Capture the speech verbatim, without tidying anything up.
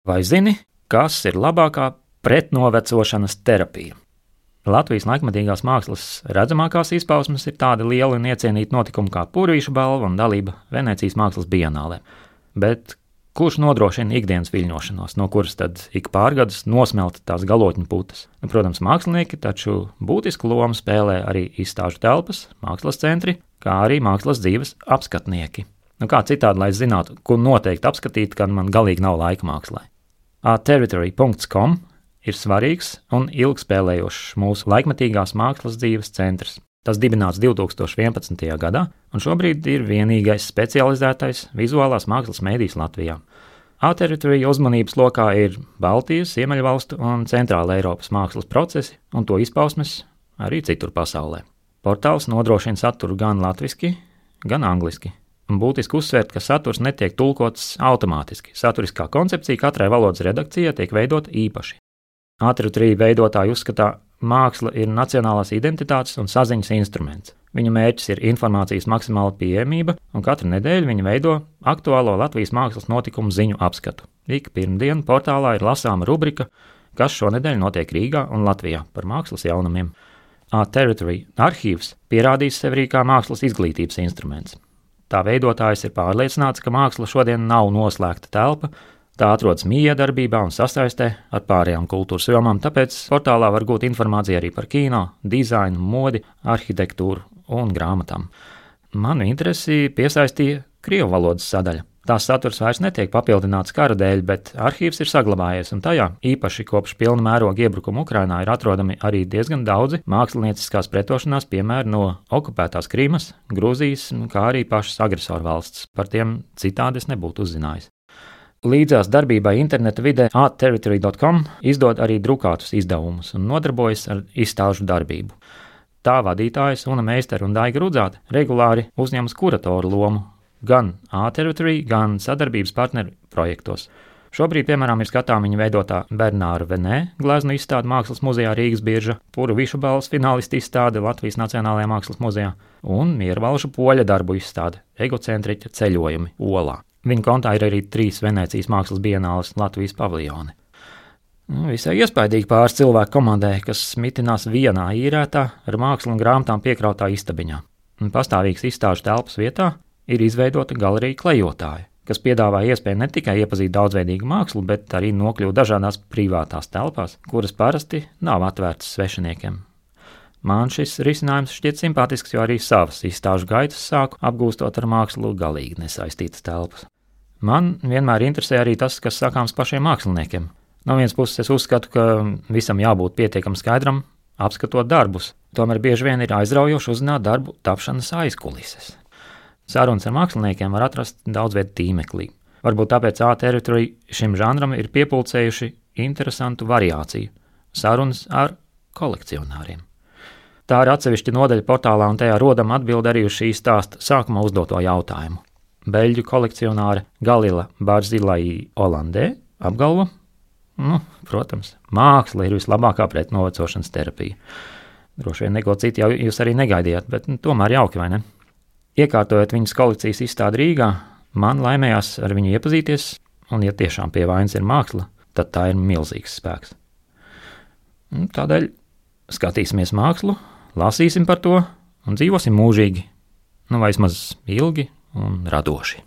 Vai zini, kas ir labākā pretnovecošanas terapija? Latvijas laikmetīgās mākslas redzamākās izpausmes ir tādi lieli un iecienīti notikumi kā Purvīša balva un dalība Venecijas mākslas bienālē. Bet kurš nodrošina ikdienas viļņošanos, no kuras tad ik pārgadus nosmelta tās galotņu putas? Nu, protams, mākslinieki, taču būtisku lomu spēlē arī izstāžu telpas, mākslas centri, kā arī mākslas dzīves apskatnieki. Nu, kā citādi, lai zinātu, ko noteikti apskatīt, kad man galīgi nav laika mākslai. a territory dot com ir svarīgs un ilgspēlējošs mūsu laikmetīgās mākslas dzīves centrs. Tas dibināts divi tūkstoši vienpadsmitajā gadā, un šobrīd ir vienīgais specializētais vizuālās mākslas mēdījis Latvijā. A-Territory uzmanības lokā ir Baltijas, Ziemeļvalstu un Centrāla Eiropas mākslas procesi un to izpausmes arī citur pasaulē. Portāls nodrošina saturu gan latviski, gan angliski. Un būtiski uzsvērt, ka saturs netiek tulkots automātiski. Saturiskā koncepcija katrai valodas redakcijai tiek veidota īpaši. A-Territory veidotāji uzskatā, māksla ir nacionālās identitātes un saziņas instruments. Viņu mērķis ir informācijas maksimāla pieejamība, un katru nedēļu viņi veido aktuālo Latvijas mākslas notikumu ziņu apskatu. Ik pirmdienu portālā ir lasāma rubrika, kas šonedēļ notiek Rīgā un Latvijā par mākslas jaunumiem. A-Territory arhīvs pierādīs sevi arī kā mākslas izglītības instruments. Tā veidotājs ir pārliecināts, ka māksla šodien nav noslēgta telpa, tā atrodas miedarbībā un sasaistē ar pārējām kultūras jomām, tāpēc portālā var gūt informāciju arī par kino, dizainu, modi, arhitektūru un grāmatām. Manu interesi piesaistīja krievu valodas sadaļa. Tās saturs vairs netiek papildināts kara dēļ, bet arhīvs ir saglabājies, un tajā, īpaši kopš pilna mēroga iebrukuma Ukrainā, ir atrodami arī diezgan daudzi mākslinieciskās pretošanās piemēri no okupētās Krimas, Grūzijas, kā arī pašas agresoru valsts. Par tiem citādi es nebūtu uzzinājis. Līdzās darbībai interneta vidē a territory dot com izdod arī drukātus izdevumus un nodarbojas ar izstāžu darbību. Tā vadītājas Una Meistera un Daiga Rudzāte regulāri uzņemas kuratoru lomu gan A-Territory, gan sadarbības partneru projektos. Šobrīd, piemēram, ir skatām viņa veidotā Bernāra Venē gleznu izstāde Mākslas muzejā Rīgas birža, Purvīša balvas finālistu izstāde Latvijas Nacionālajā mākslas muzejā un Miervalžu poļa darbu izstāde Egocentriķa ceļojumi Olā. Viņa kontā ir arī trīs Venecijas mākslas bienāles Latvijas paviljoni. Visai iespaidīgi pāris cilvēku komandē, kas mitinās vienā īrētā ar mākslu un grāmatām piekrautā istabiņā. Pastāvīgs izstāžu telpas vietā ir izveidota galerija klejotāja, kas piedāvā iespēju ne tikai iepazīt daudzveidīgu mākslu, bet arī nokļūt dažādās privātās telpās, kuras parasti nav atvērtas svešiniekiem. Man šis risinājums šķiet simpātisks, jo arī savas izstāžu gaitas sāku apgūstot ar mākslu galīgi nesaistītas telpas. Man vienmēr interesē arī tas, kas sakāms pašiem māksliniekiem. No vienas puses es uzskatu, ka visam jābūt pietiekam skaidram, apskatot darbus. Tomēr bieži vien ir aizraujoši uzzināt darbu tapšanas aizkulises. Sarunas ar māksliniekiem var atrast daudz vietu tīmeklī. Varbūt tāpēc A-Territory šim žanram ir piepulcējuši interesantu variāciju – sarunas ar kolekcionāriem. Tā ir atsevišķa nodaļa portālā, un tajā rodam atbildi arī uz šī stāsta sākumā uzdoto jautājumu. Beļģu kolekcionāre Galila Barzilai Olandē apgalvo, nu, protams, māksla ir vislabākā pretnovecošanas terapija. Droši vien neko citu jau jūs arī negaidījāt, bet nu, tomēr jauki, vai ne? Iekārtojot viņas kolekcijas izstādi Rīgā, man laimējās ar viņu iepazīties, un ja tiešām pie vainas ir māksla, tad tā ir milzīgs spēks. Tādēļ skatīsimies mākslu, lasīsim par to un dzīvosim mūžīgi, nu vai vismaz ilgi un radoši.